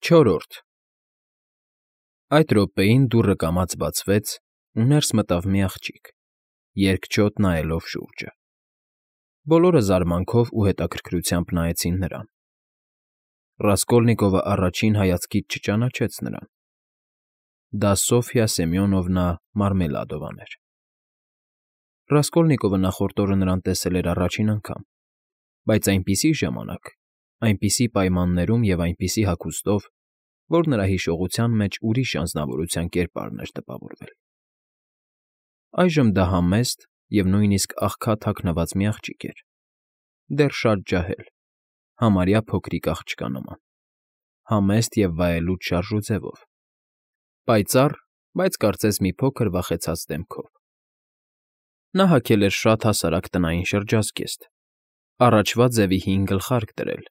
Չորրորդ Այդ րոպեին դուռը կամաց բացվեց, ու ներս մտավ մի աղջիկ, երկչոտ նայելով շուրջը։ Բոլորը զարմանքով ու հետաքրքրությամբ նայեցին նրան։ Ռասկոլնիկովը առաջին հայացքից չճանաչեց նրան։ Դա Սոֆյա Սեմյոնովնա Մարմելադովան էր։ Ռասկոլնիկովը նախորդ օրը նրան տեսել էր առաջին անգամ, բայց այնպիսի ժամանակ, այնպիսի պայմաններում և այնպիսի հագուստով, որ նրա հիշողության մեջ ուրիշ անձնավորության կերպարն էր տպավորվել։ Այժմ դա համեստ և նույնիսկ աղքատ հագնված մի աղջիկ էր, դեռ շատ ջահել, համարյա փոքրիկ աղջկա նման, համեստ և վայելուչ շարժուձևով, պայծառ, բայց կարծես մի փոքր վախեցած դեմքով։ Նա հագել էր շատ հասարակ տնային շրջազգեստ, առաջվա ձևի հին գլխարկ դրել,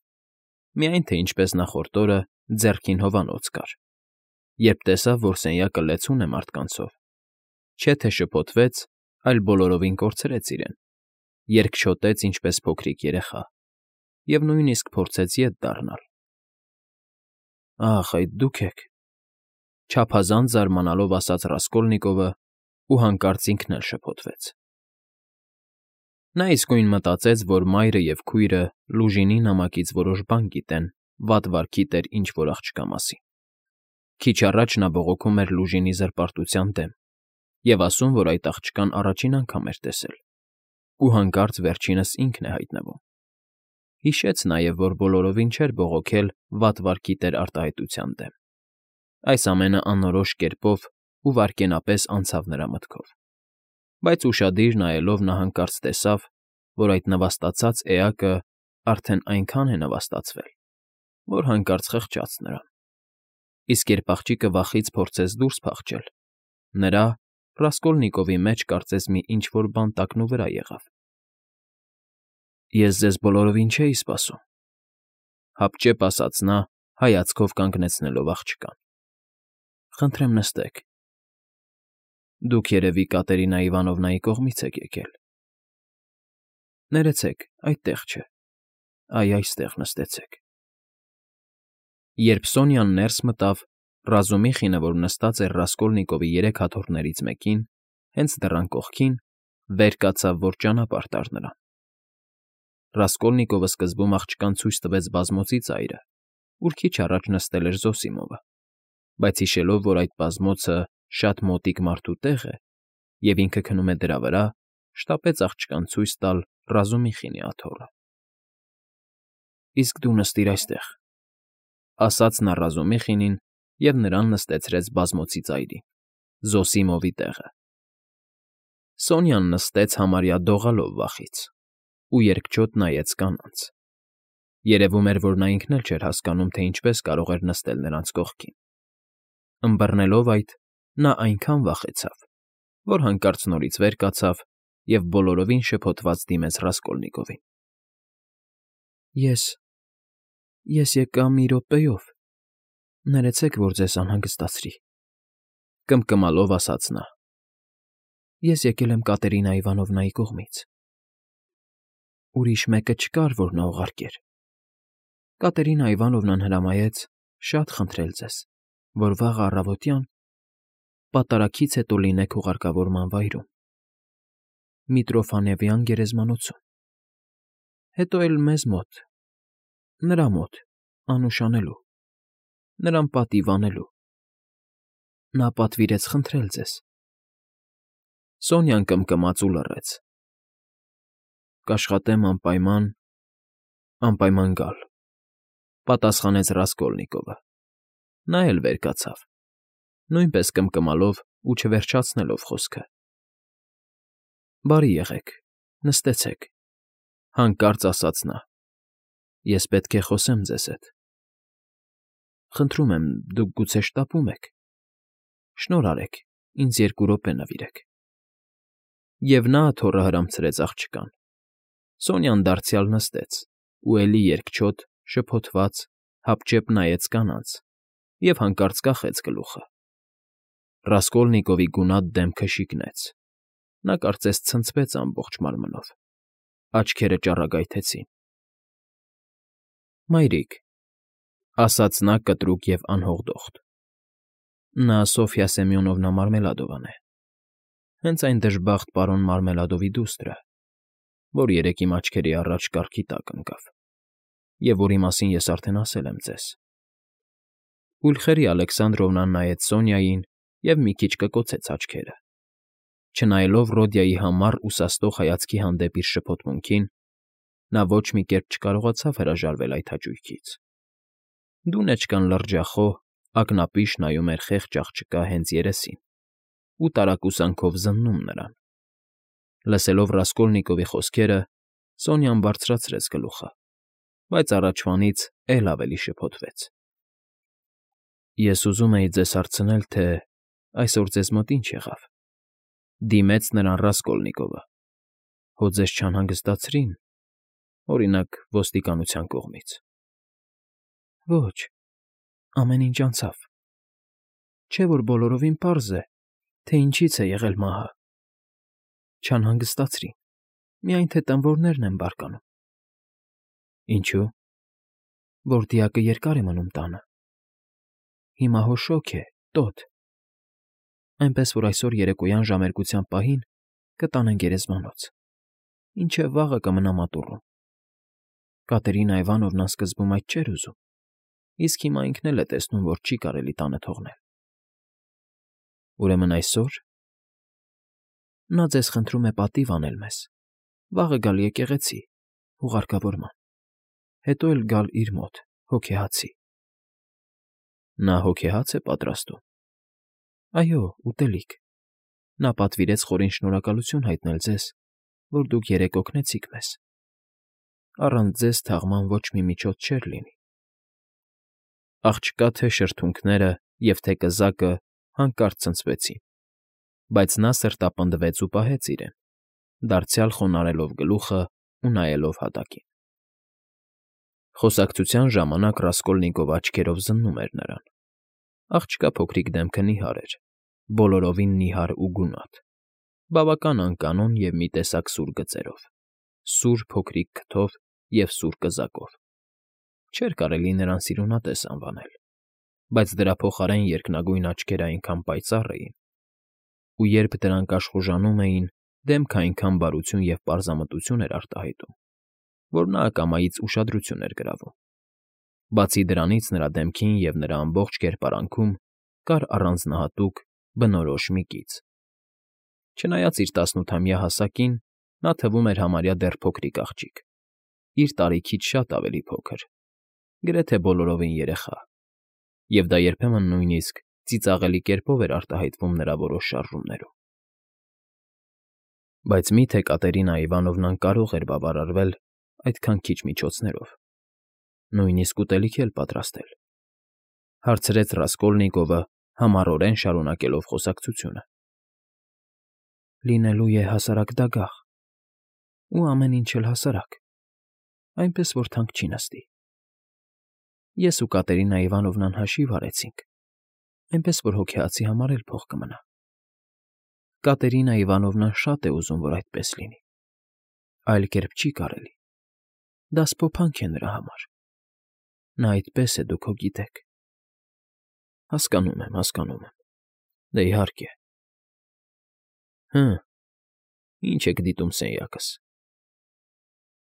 միայն թե ինչպես նախորդ օրը ձեռքին հովանոց կար, երբ տեսավ, որ սենյակը լեցուն է մարդկանցով, չէ թե շփոթվեց, այլ բոլորովին կորցրեց իրեն, երկչոտեց ինչպես փոքրիկ երեխա և նույնիսկ փորձեց ետ դառնալ։ «Ախ, այդ դուք եք,֊ չափազանց զարմանալով ասաց Ռասկոլնիկովը ու հանկարծ ինքն էլ շփոթվեց։ Նա իսկույն մտածեց, որ մայրը և քույրը Լուժինի նամակից որոշ բան գիտեն վատ վարքի տեր ինչ֊որ աղջկա մասին։ Քիչ առաջ նա բողոքում էր Լուժինի զրպարտության դեմ և ասում, որ այդ աղջկան առաջին անգամ էր տեսել, ու հանկարծ վերջինս ինքն է հայտնվում։ Հիշեց նաև, որ բոլորովին չէր բողոքել վատ վարքի տեր արտահայտության դեմ։ Այս ամենը անորոշ կերպով ու վայրկենապես անցավ նրա մտքով, բայց ուշադիր նայելով նա հանկարծ տեսավ, որ այդ նվաստացած էակը արդեն այնքան է նվաստացվել, որ հանկարծ խղճաց նրան։ Իսկ երբ աղջիկը վախից փորձեց դուրս փախչել, նրա՝ Ռասկոլնիկովի մեջ կարծես մի ինչ֊որ բան տակնուվրա եղավ։ «Ես ձեզ բոլորովին չէի սպասում,֊ հապճեպ ասաց նա՝ հայացքով կանգնեցնելով աղջկան։ Խնդրեմ նստեք։ Դուք, երևի, Կատերինա Իվանովնայի կողմից եք եկել։ Ներեցեք, այդտեղ չէ, այ այստեղ նստեցեք»։ Երբ Սոնյան ներս մտավ, Ռազումիխինը, որ նստած էր Ռասկոլնիկովի երեք աթոռներից մեկին, հենց դռան կողքին, վեր կացավ, որ ճանապարհ տար նրան։ Ռասկոլնիկովը սկզբում աղջկան ցույց տվեց բազմոցի ծայրը, ուր քիչ առաջ նստել էր Զոսիմովը, բայց հիշելով, որ այդ բազմոցը շատ մոտիկ մարդու տեղ է, և ինքը քնում է դրա վրա, շտապեց աղջկան ցույց տալ Ռազումիխինի աթոռը։ «Իսկ դու նստիր այստեղ,֊ ասաց նա Ռազումիխինին և նրան նստեցրեց բազմոցի ծայրին, Զոսիմովի տեղը։ Սոնյան նստեց համարյա դողալով վախից ու երկչոտ նայեց կանանց։ Երևում էր, որ նա ինքն էլ չէր հասկանում, թե ինչպես կարող էր նստել նրանց կողքին։ Ըմբռնելով այդ, նա այնքան վախեցավ, որ հանկարծ նորից վեր կացավ և բոլորովին շփոթված դիմեց Ռասկոլնիկովին։ Ես եկա մի րոպեով, ներեցեք, որ ձեզ անհանգստացրի,֊ կմկմալով ասաց նա։ Ես եկել եմ Կատերինա Իվանովնայի կողմից։ Ուրիշ մեկը չկար, որ նա ուղարկեր։ Կատերինա Իվանովնան հրամայեց շատ խնդրել ձեզ, որ վաղը առավոտյան պատարագից հետո լինեք ուղարկավորման վայրում, Միտրոֆանևյան գերեզմանոցում, հետո էլ մեզ մոտ, նրա մոտ, անուշ անելու, նրան պատիվ անելու։ Նա պատվիրեց խնդրել ձեզ։ Սոնյան կմկմաց ու լռեց։ Կաշխատեմ անպայման գալ,֊ պատասխանեց Ռասկոլնիկովը։ Նա էլ վեր կացավ, նույնպես կմկմալով ու չվերջացնելով խոսքը։ Բարի եղեք, նստեցեք,֊ հանկարծ ասաց նա։ Ես պետք է խոսեմ ձեզ հետ։ Խնդրում եմ, դուք գուցե շտապում եք։ Շնորհ արեք, ինձ 2 րոպե նվիրեք։ Եվ նա աթոռը հրամցրեց աղջկան։ Սոնյան դարձյալ նստեց ու էլի երկչոտ, շփոթված, հապճեպ նայեց կանանց և հանկարծ կախեց գլուխը։ Ռասկոլնիկովի գունատ դեմքը շիկնեց։ Նա կարծես ցնցվեց ամբողջ մարմնով, աչքերը ճառագայթեցին։ Մայրիկ, ասաց նա կտրուկ և անհողդոխտ։ Նա Սոֆյա Սեմյոնովնա Մարմելադովան է, հենց այն դժբախտ պարոն Մարմելադովի դուստրը, որ երեկ իմ աչքերի առաջ կառքի տակ ընկավ, և որի մասին ես արդեն ասել եմ ձեզ։ Պուլխերի Ալեքսանդրովնան նայեց Սոնյային և մի քիչ կկոցեց աչքերը։ Չնայելով Ռոդիայի համառ ու սաստող հայացքի հանդեպ իր շփոթմունքին, նա ոչ մի կերպ չկարողացավ հրաժարվել այդ հաճույքից։ Դունեչկան լրջախոհ, ակնապիշ նայում էր խեղճ աղջկա հենց երեսին ու տարակուսանքով զննում նրան։ Լսելով Ռասկոլնիկովի խոսքերը, Սոնյան բարձրացրեց գլուխը, բայց առաջվանից էլ ավելի շփոթվեց։ Ես ուզում էի ձեզ հարցնել, թե այսօր ձեզ մոտ ինչ եղավ, դիմեց նրան Ռասկոլնիկովը։ Հո ձեզ չանհանգստացրին, օրինակ, ոստիկանության կողմից։ Ոչ, ամեն ինչ անցավ։ Չէ՞ որ բոլորովին պարզ է, թե ինչից է եղել մահը։ Չանհանգստացրին, միայն թե տնվորներն են բարկանում։ Ինչու՞։ Որ դիակը երկար է մնում տանը։ Հիմա հո շոգ է, տոտ։ Այնպես որ այսօր երեկոյան ժամերկության պահին կտանեն գերեզմանոց, մինչև վաղը կմնա մատուռում։ Կատերինա Իվանովնան սկզբում այդ չէր ուզում, իսկ հիմա ինքն էլ է տեսնում, որ չի կարելի տանը թողնել։ Ուրեմն այսօր… Նա ձեզ խնդրում է պատիվ անել մեզ, վաղը գալ եկեղեցի, ուղարկավորման, հետո էլ գալ իր մոտ, հոգեհացի։ Նա հոգեհաց է պատրաստում։ Այո, ուտելիք։ Նա պատվիրեց խորին շնորհակալություն հայտնել ձեզ, որ դուք երեկ օգնեցիք մեզ։ Առանց ձեզ թաղման ոչ մի միջոց չէր լինի։ Աղջկա թե շրթունքները և թե կզակը հանկարծ ցնցվեցին, բայց նա սրտապնդվեց ու պահեց իրեն, դարձյալ խոնարհելով գլուխը ու նայելով հատակին։ Խոսակցության ժամանակ Ռասկոլնիկովը աչքերով զննում էր նրան։ Աղջկա փոքրիկ դեմքը նիհար էր, բոլորովին նիհար ու գունատ, բավական անկանոն և մի տեսակ սուր գծերով, սուր փոքրիկ քթով և սուր կզակով։ Չէր կարելի նրան սիրունատես անվանել, բայց դրա փոխարեն երկնագույն աչքերը այնքան պայծառ էին, ու երբ դրանք աշխուժանում էին, դեմքը այնքան բարություն և պարզամտություն էր արտահայտում, որ նա ակամայից ուշադրություն էր գրավում։ Բացի դրանից նրա դեմքին և նրա ամբողջ կերպարանքում կար առանձնահատուկ, բնորոշ մի կից։ Չնայած իր 18-ամյա հասակին, նա թվում էր համարյա դեռ փոքրիկ աղջիկ, իր տարիքից շատ ավելի փոքր, գրեթե բոլորովին երեխա, և դա երբեմն նույնիսկ ծիծաղելի կերպով էր արտահայտվում նրա որոշ շարժումներում։ Բայց մի՞թե Կատերինա Իվանովնան կարող էր բավարարվել այդքան քիչ միջոցներով, նույնիսկ ուտելիք էլ պատրաստել, հարցրեց Ռասկոլնիկովը, համառորեն շարունակելով խոսակցությունը։ Լինելու է հասարակ դագաղ, ու ամեն ինչ էլ հասարակ, այնպես որ թանկ չի նստի։ Ես ու Կատերինա Իվանովնան հաշիվ արեցինք, այնպես որ հոգեհացի համար էլ փող կմնա։ Կատերինա Իվանովնան շատ է ուզում, որ այդպես լինի։ Այլ կերպ չի կարելի։ Դա սփոփանք է նրա համար։ Նա այդպես է, դուք հո գիտեք։ Հասկանում եմ։ Դե իհարկե։ Հը, ինչ եք դիտում սենյակս։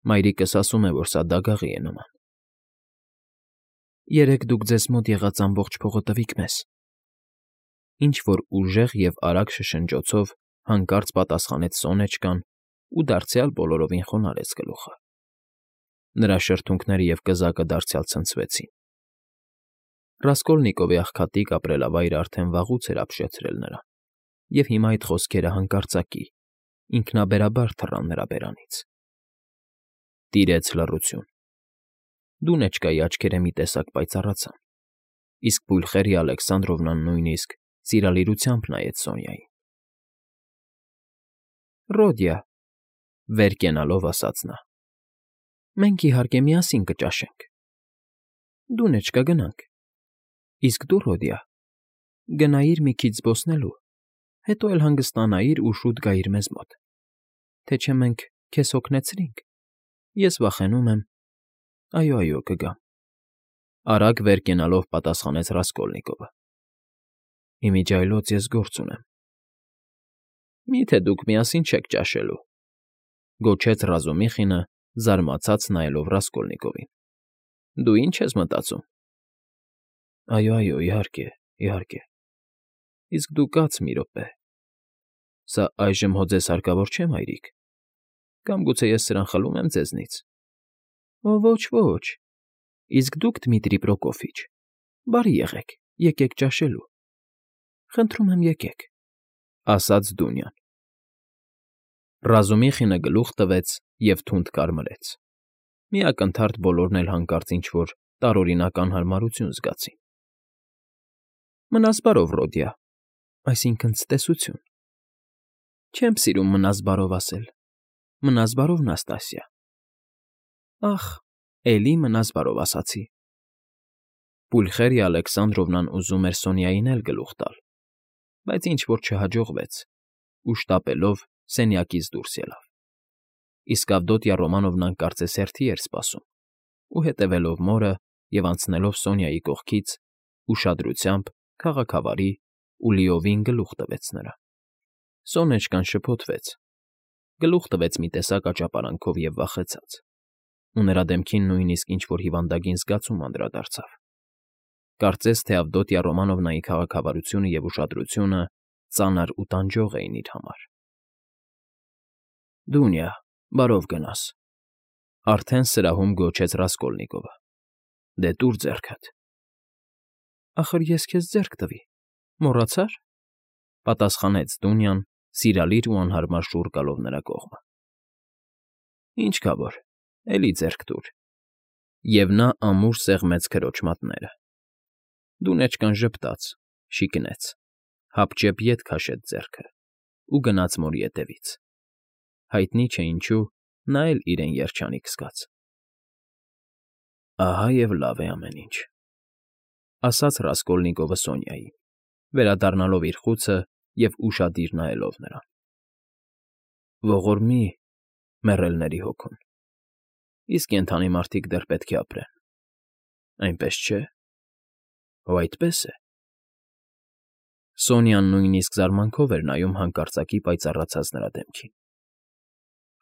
Մայրիկս ասում է, որ սա դագաղի է նման։ Երեկ դուք ձեզ մոտ եղած ամբողջ փողը տվիք մեզ։ Ինչ֊որ ուժեղ և արագ շշնջոցով հանկարծ պատասխանեց Սոնեչկան ու դարձյալ բոլորովին խոնարհեց գլուխը։ Նրա շրթունքները և կզակը դարձյալ ցնցվեցին։ Ռասկոլնիկովի աղքատիկ ապրելավայրը արդեն վաղուց էր ապշեցրել նրան, և հիմա այդ խոսքերը հանկարծակի, ինքնաբերաբար թռան նրա բերանից։ Տիրեց լռություն։ Դունեչկայի աչքերը մի տեսակ պայծառացան, իսկ Պուլխերի Ալեքսանդրովնան նույնիսկ սիրալիրությամբ նայեց Սոնյային։ Ռոդիա, վեր կենալով ասաց նա, մենք իհարկե միասին կճաշենք։ Դունեչկա, գնանք։ Իսկ դու, Ռոդիա, գնայիր մի քիչ զբոսնելու, հետո էլ հանգստանայիր ու շուտ գայիր մեզ մոտ, թե չէ մենք քեզ հոգնեցրինք։ Ես վախենում եմ… Այո, կգամ։ Արագ վեր կենալով պատասխանեց Ռասկոլնիկովը։ Իմիջիայլոց ես գործ ունեմ։ Մի՞թե դուք միասին չեք ճաշելու,֊ գոչեց Ռազումիխինը, զարմացած նայելով Ռասկոլնիկովին։ Դու ի՞նչ ես մտածում։ Այո, իհարկե։ Իսկ դու կաց մի րոպե։ Սա այժմ հո ձեզ հարկավոր չէ, մայրիկ։ Կամ գուցե ես սրան խլում եմ ձեզնից։ Ոչ։ Իսկ դուք, Դմիտրի Պրոկոֆիչ, բարի եղեք, եկեք ճաշելու։ Խնդրում եմ, եկեք,֊ ասաց Դունյան։ Ռազումիխինը գլուխ տվեց և թունդ կարմրեց։ Մի ակնթարթ բոլորն էլ հանկարծ ինչ֊որ տարօրինակ անհարմարություն զգացին։ Մնաս բարով, Ռոդիա, այսինքն՝ ցտեսություն։ Չեմ սիրում մնաս բարով ասել։ Մնաս բարով, Նաստասիա։ Ախ, էլի մնաս բարով ասացի։ Պուլխերիա Ալեքսանդրովնան ուզում էր Սոնյային էլ գլուխ տալ, բայց ինչ֊որ չհաջողվեց ու շտապելով սենյակից դուրս ելավ։ Իսկ Ավդոտյա Ռոմանովնան կարծես հերթի էր սպասում ու, հետևելով մորը և անցնելով Սոնյայի կողքից, ուշադրությամբ, քաղաքավարի ու լիովին գլուխ տվեց նրան։ Սոնեչկան շփոթվեց, գլուխ տվեց մի տեսակ աճապարանքով և վախեցած, ու նրա դեմքին նույնիսկ ինչ֊որ հիվանդագին զգացում անդրադարձավ։ Կարծես թե Ավդոտյա Ռոմանովնայի քաղաքավարությունը և ուշադրությունը ծանր ու տանջող էին իր համար։ Դունյա, բարով գնաս,֊ արդեն սրահում գոչեց Ռասկոլնիկովը։ Դե տուր ձեռքդ։ Ախր ես քեզ ձեռք տվի, մոռացա՞ր,֊ պատասխանեց Դունյան, սիրալիր ու անհարմար շուռ գալով նրա կողմը։ Ինչ կա որ, էլի ձեռք տուր։ Եվ նա ամուր սեղմեց քրոջ մատները։ Դունեչկան ժպտաց, շիկնեց, հապճեպ ետ քաշեց ձեռքը ու գնաց մորի ետևից։ Հայտնի չէ ինչու, նա էլ իրեն երջանիկ զգաց։ Ահա և լավ է ամեն ինչ,֊ ասաց Ռասկոլնիկովը Սոնյային, վերադառնալով իր խուցը և ուշադիր նայելով նրան։ Ողորմի, մեռելների հոգուն, իսկ կենդանի մարդիկ դեռ պետք է ապրեն, այնպես չէ՞։ Հո այդպես է։ Սոնյան նույնիսկ զարմանքով էր նայում հանկարծակի պայծառացած նրա դեմքին։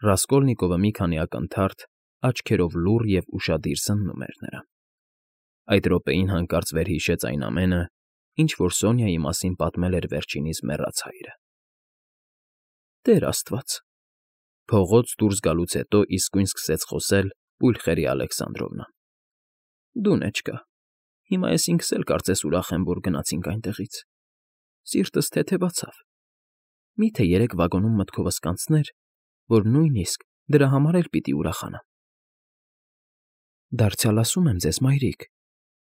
Ռասկոլնիկովը մի քանի ակնթարթ աչքերով լուռ և ուշադիր զննում էր նրան։ Այդ րոպեին հանկարծ վերհիշեց այն ամենը, ինչ որ Սոնյայի մասին պատմել էր վերջինիս մեռած հայրը։ Տեր Աստված,֊ փողոց դուրս գալուց հետո իսկույն սկսեց խոսել Պուլխերիա Ալեքսանդրովնան։ Դունեչկա, հիմա ես ինքս էլ կարծես ուրախ եմ, որ գնացինք այնտեղից։ Սիրտս թեթևացավ։ Մի՞թե երեկ վագոնում մտքովս կանցներ, որ նույնիսկ դրա համար էլ պիտի ուրախանամ։ Դարձյալ ասում եմ ձեզ, մայրիկ,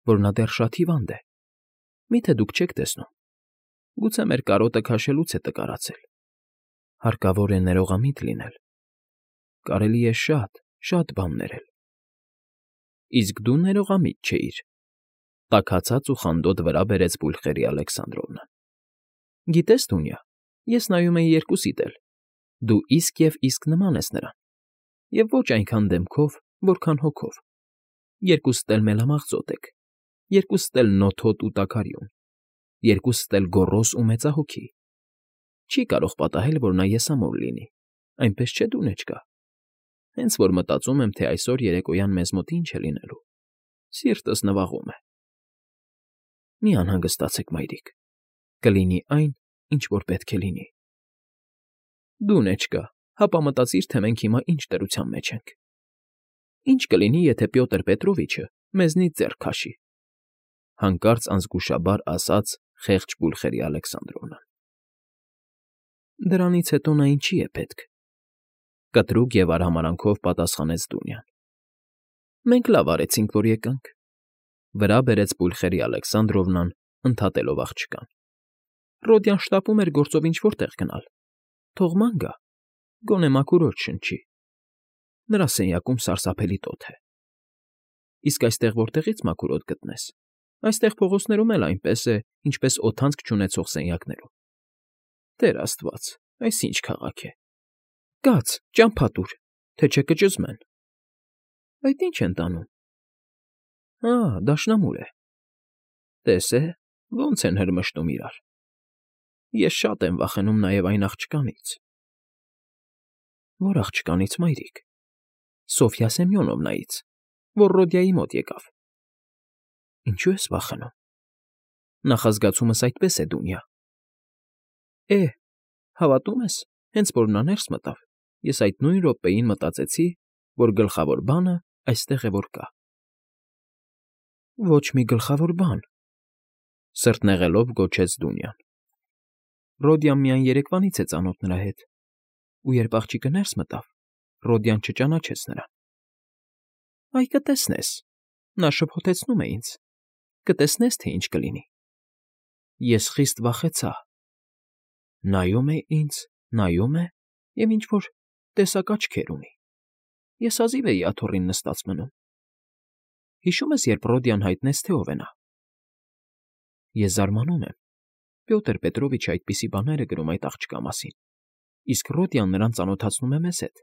որ նա դեռ շատ հիվանդ է։ Մի՞թե դուք չեք տեսնում։ Գուցե մեր կարոտը քաշելուց է տկարացել։ Հարկավոր է ներողամիտ լինել։ Կարելի է շատ բան ներել։ Իսկ դու ներողամիտ չէիր,֊ տաքացած ու խանդոտ վրա բերեց Պուլխերիա Ալեքսանդրովնան։ Գիտես, Դունյա, ես նայում էի երկուսիդ էլ։ Դու իսկ նման ես նրան։ Եվ ոչ այնքան դեմքով, որքան հոգով։ Երկուսդ էլ մելամաղձոտ եք, երկուսդ էլ նոթոտ ու տաքարյուն, երկուսդ էլ գոռոզ ու մեծահոգի։ Չի կարող պատահել, որ նա եսամոռ լինի, այնպես չէ, Դունեչկա։ Հենց որ մտածում եմ, թե այսօր երեկոյան մեզ մոտ ինչ է լինելու, սիրտս նվաղում է։ Մի անհանգստացեք, մայրիկ, կլինի այն, ինչ որ պետք է լինի։ Դունեչկա, հապա մտածիր, թե մենք հիմա ինչ դրության մեջ ենք։ Ինչ կլինի, եթե Պյոտր Պետրովիչը մեզնից ձեռք քաշի,֊ հանկարծ անզգուշաբար ասաց խեղճ Պուլխերիա Ալեքսանդրովնան։ Դրանից հետո նա ինչի է պետք,֊ կտրուկ և արհամարհանքով պատասխանեց Դունյան։ Մենք լավ արեցինք, որ եկանք,֊ վրա բերեց Պուլխերիա Ալեքսանդրովնան, ընդհատելով աղջկան։ Ռոդյան շտապում էր գործով ինչ֊որ տեղ գնալ։ Թող ման գա, գոնե մաքուր օդ շնչի։ Նրա սենյակում սարսափելի տոթ է։ Իսկ այստեղ որտեղի՞ց մաքուր օդ գտնես։ Այստեղ փողոցներում էլ այնպես է, ինչպես օդանցք չունեցող սենյակներում։ Տեր Աստված, այս ինչ քաղաք է։ Կաց, ճամփա տուր, թե չէ կճզմեն։ Այդ ի՞նչ են տանում։ Դաշնամուր է։ Տես է, ոնց են հրմշտում իրար։ Ես շատ եմ վախենում նաև այն աղջկանից։ Որ աղջկանից, մայրիկ։ Սոֆյա Սեմյոնովնայից, որ Ռոդիայի մոտ եկավ։ Ինչու ես վախենում։ Նախազգացումս այդպես է, Դունյա։ Հավատում ես, հենց որ նա ներս մտավ, ես այդ նույն րոպեին մտածեցի, որ գլխավոր բանը այստեղ է որ կա։ Ոչ մի գլխավոր բան, սրտնեղելով գոչեց Դունյան։ Ռոդիան միայն երեկվանից է ծանոթ նրա հետ, ու երբ աղջիկը ներս մտավ, Ռոդիան չճանաչեց նրան։ Այ կտեսնես, նա շփոթեցնում է ինձ, կտեսնես, թե ինչ կլինի։ Ես խիստ վախեցա։ Նայում է ինձ, նայում է և ինչ-որ տեսակ աչքեր ունի։ Ես հազիվ էի աթոռին նստած մնում։ Հիշում ես, երբ Ռոդիան հայտնեց, թե ով է նա։ Ես զարմանում եմ։ Պյոտր Պետրովիչը այդպիսի բաներ է գրում այդ աղջկա մասին, իսկ Ռոդիան նրան ծանոթացնում է մեզ հետ,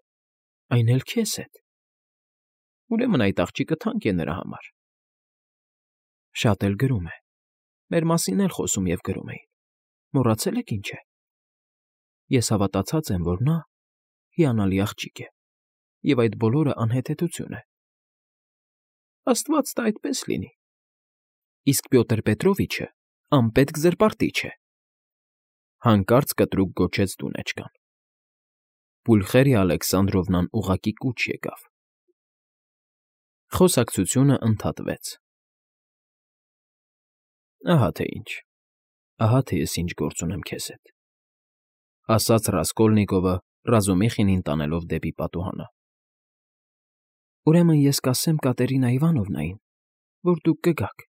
այն էլ քեզ հետ։ Ուրեմն այդ աղջիկը թանկ է նրա համար։ Շատ էլ գրում է։ Մեր մասին էլ խոսում և գրում էին։ Մոռացել եք ինչ է։ Ես հավատացած եմ, որ նա հիանալի աղջիկ է, և այդ բոլորը անհեթեթություն է։ Աստված տա այդպես լինի։ Իսկ Պյոտր Պետրովիչը անպետք զրպարտիչ է։ Հանկարծ կտրուկ գոչեց դունեչկան։ Պուլխերիա Ալեքսանդրովնան ուղղակի կուչ եկավ։ Խոսակցությունը ընդհատվեց։ Ահա թե ինչ։ Ահա թե ես ինչ գործ ունեմ քեզ հետ, ասաց Ռասկոլնիկովը Ռազումիխինին տանելով դեպի պատուհանը։ Ուրեմն ես կասեմ Կատերինա Իվանովնային, որ դուք կգաք,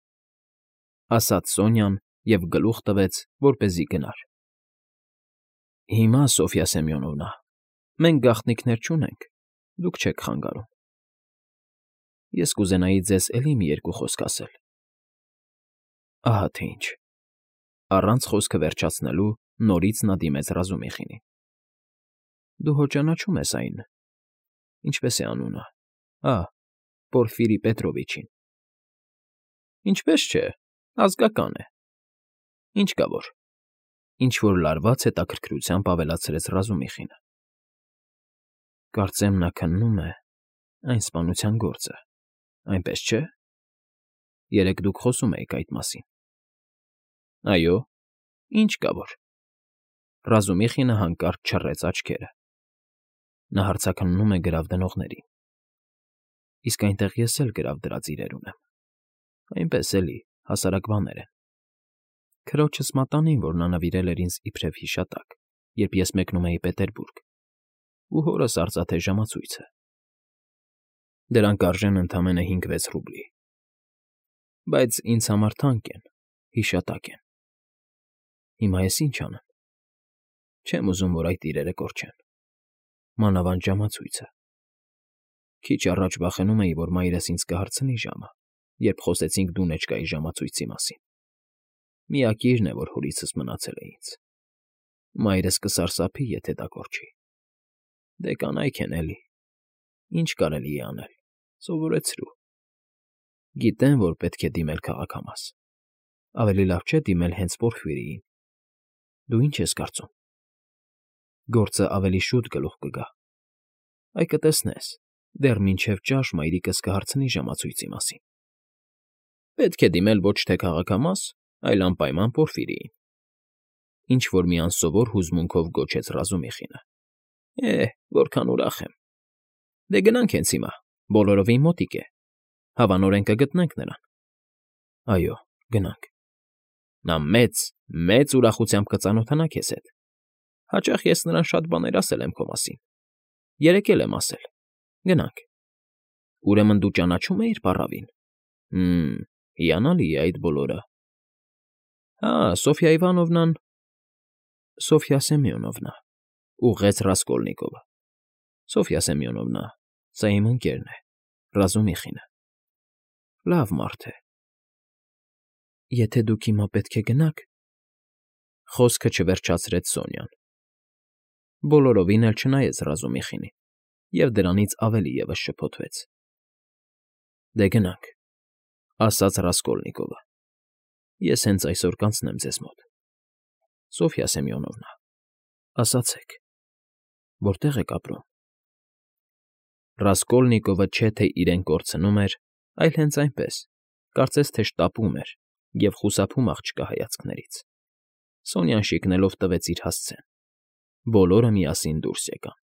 ասաց Սոնյան և գլուխ տվեց, որպեսզի գնար։ Հիմա, Սոֆյա Սեմյոնովնա, մենք գաղտնիքներ չունենք, դուք չեք խանգարում։ Ես կուզենայի ձեզ էլի մի երկու խոսք ասել։ Ահա թե ինչ։ Առանց խոսքը վերջացնելու նորից նա դիմեց Ռազումիխինին։ Դու հո ճանաչում ես այն, ինչպես է անունը, Պորֆիրի Պետրովիչին։ Ինչպես չէ, ազգական է։ Ինչ կա որ։ Ինչ-որ լարված հետաքրքրությամբ ավելացրեց Ռազումիխինը։ Կարծեմ նա քննում է այն սպանության գործը, այնպես չէ։ Երեկ դուք խոսում էիք այդ մասին։ Այո, ինչ կա որ։ Ռազումիխինը հանկարծ չռեց աչքերը։ Նա հարցաքննում է գրավ դնողներին։ Իսկ այնտեղ ես էլ գրավ դրած իրեր ունեմ։ Այնպես էլի, հասարակ բաներ են։ Քրոջս մատանին, որ նա նվիրել էր ինձ իբրև հիշատակ, երբ ես մեկնում էի Պետերբուրգ, ու հորս արծաթե ժամացույցը։ Դրանք արժեն ընդամենը 5-6 ռուբլի։ Բայց ինձ համար թանկ են, հիշատակ են։ Հիմա ես ինչ անեմ։ Չեմ ուզում, որ այդ իրերը կորչեն։ Մանավանդ ժամացույցը։ Քիչ առաջ վախենում էի, որ մայրս ինձ կհարցնի ժամը, երբ խոսեցինք դունեչկայի ժամացույցի մասին։ Միակիրն է, որ հորիցս մնացել է ինձ։ Մայրս կսարսափի, եթե դա կորչի։ Դե կանայք են էլի։ Ինչ կարելի է անել, սովորեցրու։ Գիտեն, որ պետք է դիմել քաղաքամաս։ Ավելի լավ չէ դիմել հենց Պորֆիրիին։ Դու ինչ ես կարծում։ Գործը ավելի շուտ գլուխ կգա։ Այ կտեսնես, դեռ մինչև ճաշ մայրիկս կհարցնի ժամացույցի մասին։ Պետք է դիմել ոչ թե քաղաքամաս, այլ անպայման Պորֆիրիին։ Ինչ-որ մի անսովոր հուզմունքով գոչեց Ռազումիխինը։ Որքան ուրախ եմ։ Դե գնանք հենց հիմա, բոլորովին մոտիկ է։ Հավանորեն կգտնենք նրան։ Այո, գնանք։ Նա մեծ ուրախությամբ կծանոթանա քեզ հետ։ Հաճախ ես նրան շատ բաներ ասել եմ քո մասին։ Երեկ էլ եմ ասել։ Գնանք։ Ուրեմն դու ճանաչում էիր պառավին։ Հիանալի է այդ բոլորը։ Սոֆյա Իվանովնան… Սոֆյա Սեմյոնովնա, ուղղեց Ռասկոլնիկովը։ Սոֆյա Սեմյոնովնա, սա իմ ընկերն է, Ռազումիխինը։ Լավ մարդ է։ Եթե դուք հիմա պետք է գնաք… Խոսքը չվերջացրեց Սոնյան։ Բոլորովին էլ չնայեց Ռազումիխինին, և դրանից ավելի ևս շփոթվեց։ Դե գնանք։ ասաց Ռասկոլնիկովը։ Ես հենց այսօր կանցնեմ ձեզ մոտ։ Սոֆյա Սեմյոնովնա, ասացեք, որտե՞ղ եք ապրում։ Ռասկոլնիկովը չէ թե իրեն կորցնում էր, այլ հենց այնպես, կարծես թե շտապում էր և խուսափում աղջկա հայացքներից։ Սոնյան շիկնելով տվեց իր հասցեն։ Բոլորը միասին դուրս եկան։